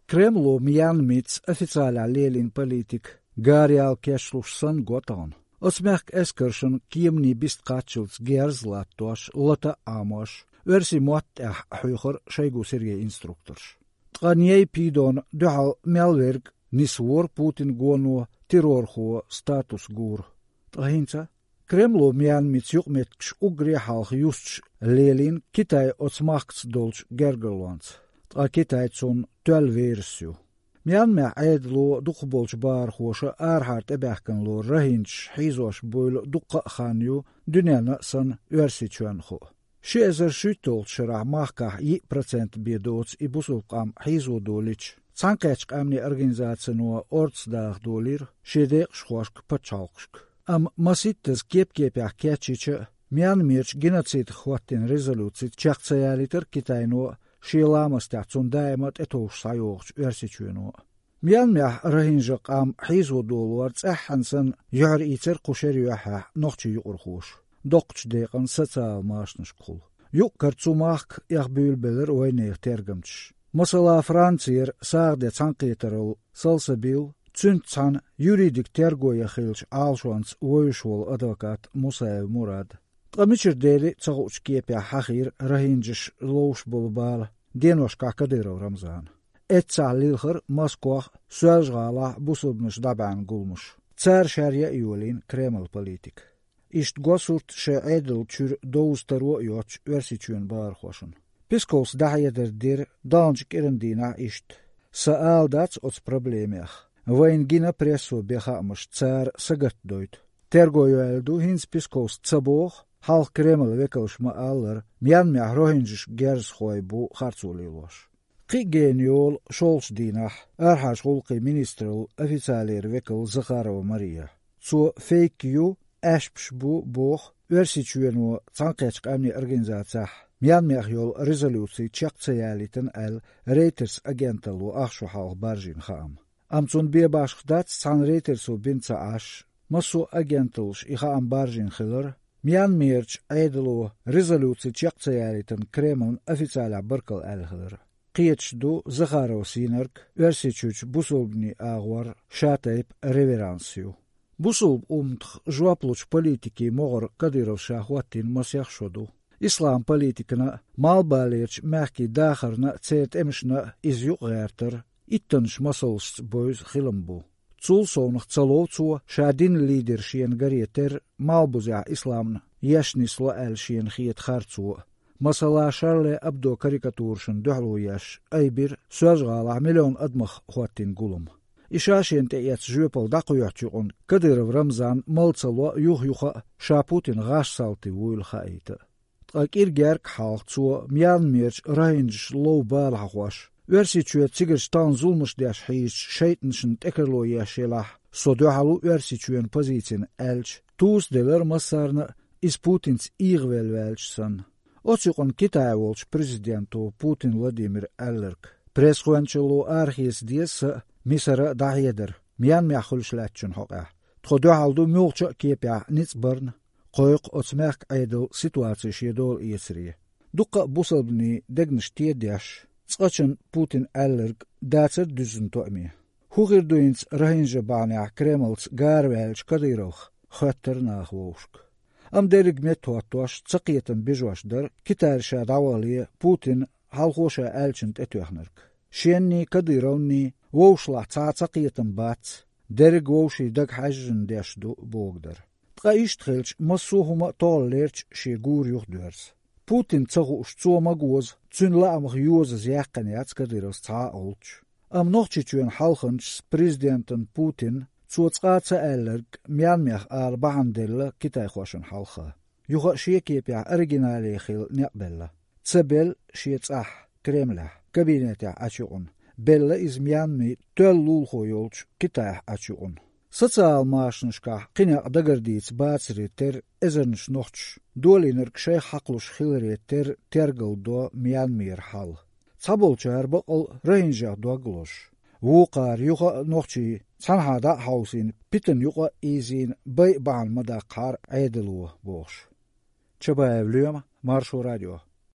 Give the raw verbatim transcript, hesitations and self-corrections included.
Кремло Мьянмица официалехь лелийна политика гараяла кечлуш санна го тахана. Оцу мехкан эскаршна кеманийн бист кхаччалц герз а латтош, лата а Ӏамош, оьрсийн мотт тӀехь хьоьхура шайгу Сергей инструкторш. Ткъа Ней Пидона дуьхьал мел верг нисвора Путин гоно террорхо статус гура. Ткъа хӀинца Кремло Мьянмица юкъаметтигаш уггаре а хьалха юсташ лелийна Китай оцу махкаца долчу гергарлонца. Ткъа Китай цунна тоьлла верас ю. Мьянмехь Ӏедало дукхахболчу бахархоша арахьара тӀебаьхкина лору рохинджаш хьийзош буйла дуккха а хан ю дуьненна а санна Оьрсийчоьнна хуу. Ши эзар шуьйтталгӀачу шарахь махкахь йиъ процент бен доцу и бусулба къам хьийзо долийча, Цхьаьнакхеттачу къаьмнийн организацино орцах даха долийра шен декъашхошка пачхьалкхашка. Амма масийттаза кеп-кепехь кечйича а, Мьянмерчу геноцидах хӀоттийна резолюци чекх ца ялийтира Китайно а, шен ламастехь цунна даима а тӀетовжуш схьайогӀучу Оьрсийчоьно а. Мьянмехь рохинджа къам хьийзо долор цӀеххьана санна юьхьар ийцира кху шеран юьххьехь нохчийн юкъархоша, доккхачу декъана социал машанашкахула. Юкъ-кара цу махка эхь буьйлабелира вайнехан тергамчаша. Масала, Францера сагӀа де цхьаьнакхетаралла салсабийла, цуьнца цхьаьна юридик терго ян хиллачу Ӏалашонца вевзаш волу адвокат Мусаев Мурад. Ткъа мичара дели а ца хуучу кепехь хьахийра рохинджаш ловш болу бала деношкахь Кадыров Рамзана. Эццахь лилхара Москох а, Соьлжа-ГӀалахь а бусулбанаш дӀабаьхьна гуламаш. Цара шаьрра а йолийна Кремлан политика. Иштта го сурт шайн Ӏедал чуьра довза таро а йоцучу Оьрсийчоьнан бахархошна. Песковс дӀахьедар дира далначу кӀиран дийнахь иштта: «Сан ала дац оцу проблемех. Вайна гина прессо бен хаамаш, цара сагатдойту». Терго йоьлла ду, хӀинца Песковс ца боху, хьалха Кремлан векалша ма-аллара, Мьянмехь рохинджаш герзахой бу харцо лелош. Кхин а гена йолу шолгӀачу дийнахь арахьарчу гӀуллакхийн министраллан официалера векал Захарова Мария. Цо фейк ю, аьшпаш бу боху Оьрсийчоьно Цхьаьнакхеттачу къаьмнийн организацехь Мьянмехь йолу резолюци чекх ца ялийтина аьлла, Рейтерс агенталло ах шо хьалха баржийна хаам. Амма цунна бен башха дац цхьана Рейтерсо бина ца Ӏаш, массо а агенталлаш и хаам баржийна хилар, Мьянмерчу Ӏедало резолюци чекх ца ялийтина Кремлна официалехь баркалла аьлла хилар. Кхеташ ду Захаровс йинарг Оьрсийчуьрчу бусулбанийн агӀор ша тайпа реверанс ю. Бусулба умматах жоп лучу политикийн могӀара Кадыровс ша хӀоттийна масех шо ду. Ислам политикана а, малхбалерчу мехкийн дахарна а, церан тӀемашна а иза юкъагӀертар иттаннаш масалшца бевза хилам бу. Цул совнаха ца лов цо ша динан лидер шена гаре терра малхбузехь исламна еш нисло аьлла шена хета харцо а. Масала, Шарли Абдо карикатурашна дуьхьало еш айбира Соьлжа-ГӀалахь миллион адамах хӀоттийна гулам. И ша шена тӀеэцна жоьпалла дӀакхоьхьучу юкъана Кадыров Рамзан мала ца ло юх-юха а ша Путинан гӀаш салти вуйла хаийта. Ткъа кӀира герга хьалха цо Мьянмерчу рохинджаш лов бала хьахош: «Оьрсийчоь цигарчу тахана зуламаш деш хьийзачу шайтӀанашна тӀекарло еш елахь, со дуьхьал ву Оьрсийчоьнан позицина», аьлча, туза делира массарна а, иза Путинца эгӀавелла ваьлча санна. Оцу юкъана Китайхь волчу президенто Путин Владимира аьлларг: «Пресс-гӀоьнчалло арахеца деза сан а, Мисара а дӀахьедар Мьянмехь хуьлуш лаьттачун хьокъехь. Тхо дуьхьал ду муьлххачу а кепехь ницкъ барна, кхойкху оцу мехкан Ӏедал ситуаци шен дола эцаре». Дуккха а бусалбанийн дегнаш тедеш, цкъачунна Путина аьлларг дацара дуьззина тоъаме. ХӀун хир ду хӀинца рохинджа бахьанехь Кремлца гараваьллачу Кадыровх, хоьттура наха вовшашка. Амма дерриг меттахӀоттош, цакхетам бижош дара Китайра ша дӀавахале Путина хьалхо ша аьллачунна тӀетоьхнарг. Шенний, Кадыровний вовшашлахь цхьа а цакхетам бац, дерриг вовшийн дага хьаьжжина деш ду бохург дара. Ткъа иштта хилча, массо а хӀума а тохаллерчу шен гура юхадоьрзу. Путинна ца хууш цо ма гоза, цуьнан лаамах йозаза яьккхина яц Кадыровс цхьа а гӀулч. Амма Нохчийчоьнан хьалханчас президентана Путинна цо цкъа а ца аьлларг Мьянмех ала бахьана делла китайхошна хьалха. Юха а шен кепехь оригинале хила некъ белла. Ца белла шен цӀахь, Кремлехь, кабинетехь Ӏачу юкъана, белла иза Мьянмин тоьлла лулахо йолчу Китайхь Ӏачу юкъана. Социал машанашкахь кхин некъ дагардийца бацаре терра эзарнаш нохчаша, долийнарг шайх хьакхалуш хиларе терра тергалдо Мьянмера хьал. Цхьаболчара бакъал а рохинджех дог лозуш, вукхара юха а нохчий цхьанхьа дӀа а хьовсийна, питана юкъа а ийзийна, байа бахьана ма даккхахьара Ӏедало бохуш. Чабаев Лоьма, Маршо радио.